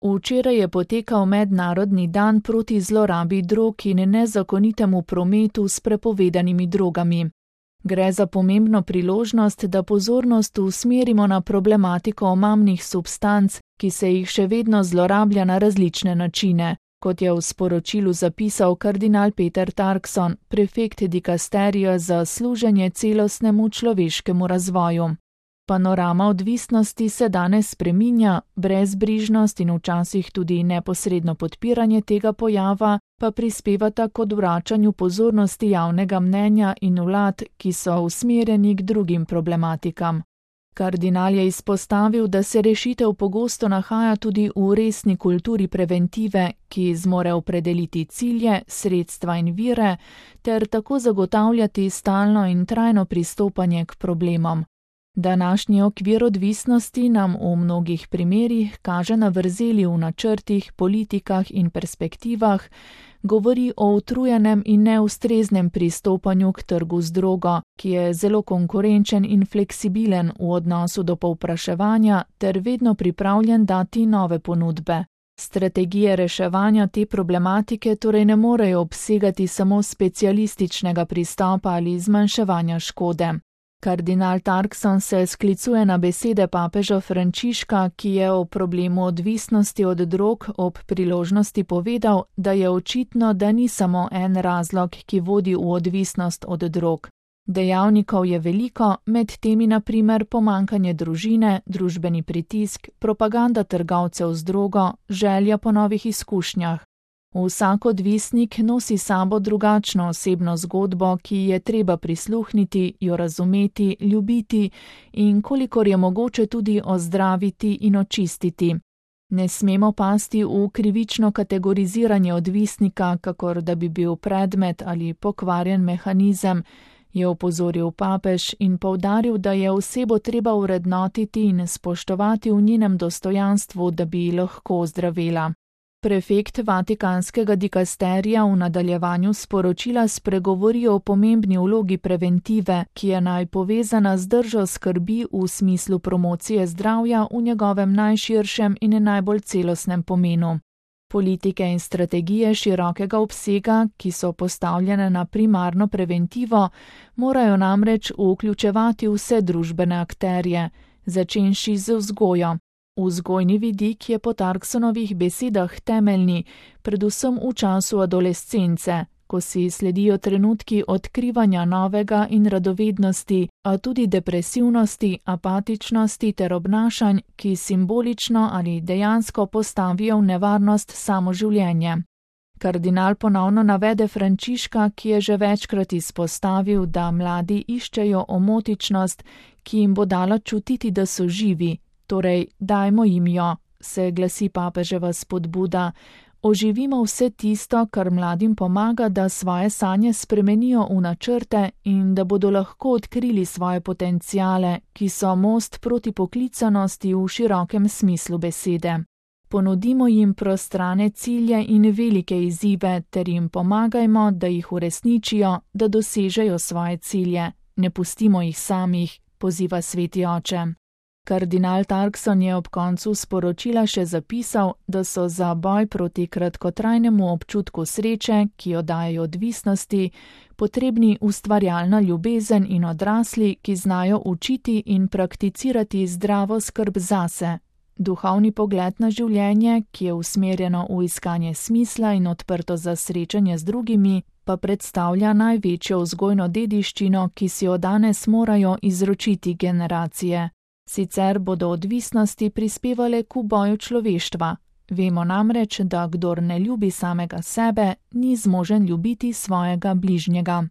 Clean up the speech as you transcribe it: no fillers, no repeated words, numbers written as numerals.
Včeraj je potekal mednarodni dan proti zlorabi drog in nezakonitemu prometu s prepovedanimi drogami. Gre za pomembno priložnost, da pozornost usmerimo na problematiko omamnih substanc, ki se jih še vedno zlorablja na različne načine, kot je v sporočilu zapisal kardinal Peter Turkson, prefekt dikasterija za služenje celostnemu človeškemu razvoju. Panorama odvisnosti se danes spreminja, brezbrižnost in včasih tudi neposredno podpiranje tega pojava pa prispevata k odvračanju pozornosti javnega mnenja in vlad, ki so usmerjeni k drugim problematikam. Kardinal je izpostavil, da se rešitev pogosto nahaja tudi v resni kulturi preventive, ki zmore opredeliti cilje, sredstva in vire, ter tako zagotavljati stalno in trajno pristopanje k problemom. Današnji okvir odvisnosti nam v mnogih primerih kaže na vrzeli v načrtih, politikah in perspektivah, govori o utrujenem in neustreznem pristopanju k trgu z drogo, ki je zelo konkurenčen in fleksibilen v odnosu do povpraševanja ter vedno pripravljen dati nove ponudbe. Strategije reševanja te problematike torej ne morejo obsegati samo specialističnega pristopa ali zmanjševanja škode. Kardinal Turkson se sklicuje na besede papeža Frančiška, ki je o problemu odvisnosti od drog ob priložnosti povedal, da je očitno, da ni samo en razlog, ki vodi v odvisnost od drog. Dejavnikov je veliko, med temi na primer pomanjkanje družine, družbeni pritisk, propaganda trgovcev z drogo, želja po novih izkušnjah. Vsak odvisnik nosi sabo drugačno osebno zgodbo, ki je treba prisluhniti, jo razumeti, ljubiti in kolikor je mogoče tudi ozdraviti in očistiti. Ne smemo pasti v krivično kategoriziranje odvisnika, kakor da bi bil predmet ali pokvarjen mehanizem, je opozoril papež in poudaril, da je osebo treba vrednotiti in spoštovati v njenem dostojanstvu, da bi lahko ozdravela. Prefekt Vatikanskega dikasterija v nadaljevanju sporočila spregovori o pomembni vlogi preventive, ki je naj povezana z držo skrbi v smislu promocije zdravja v njegovem najširšem in najbolj celostnem pomenu. Politike in strategije širokega obsega, ki so postavljene na primarno preventivo, morajo namreč vključevati vse družbene akterje, začenši z vzgojo. Vzgojni vidik je po Turksonovih besedah temeljni, predvsem v času adolescence, ko si sledijo trenutki odkrivanja novega in radovednosti, a tudi depresivnosti, apatičnosti ter obnašanj, ki simbolično ali dejansko postavijo v nevarnost samo življenje. Kardinal ponovno navede Frančiška, ki je že večkrat izpostavil, da mladi iščejo omotičnost, ki jim bo dala čutiti, da so živi. Torej, dajmo jim jo, se glasi papeževa spodbuda. Oživimo vse tisto, kar mladim pomaga, da svoje sanje spremenijo v načrte in da bodo lahko odkrili svoje potenciale, ki so most proti poklicanosti v širokem smislu besede. Ponudimo jim prostrane cilje in velike izzive ter jim pomagajmo, da jih uresničijo, da dosežejo svoje cilje. Ne pustimo jih samih, poziva sveti oče. Kardinal Turkson je ob koncu sporočila še zapisal, da so za boj proti kratkotrajnemu občutku sreče, ki jo dajejo odvisnosti, potrebni ustvarjalna ljubezen in odrasli, ki znajo učiti in prakticirati zdravo skrb zase. Duhovni pogled na življenje, ki je usmerjeno v iskanje smisla in odprto za srečanje z drugimi, pa predstavlja največjo vzgojno dediščino, ki si jo danes morajo izročiti generacije. Sicer bodo odvisnosti prispevale k uboju človeštva. Vemo namreč, da kdor ne ljubi samega sebe, ni zmožen ljubiti svojega bližnjega.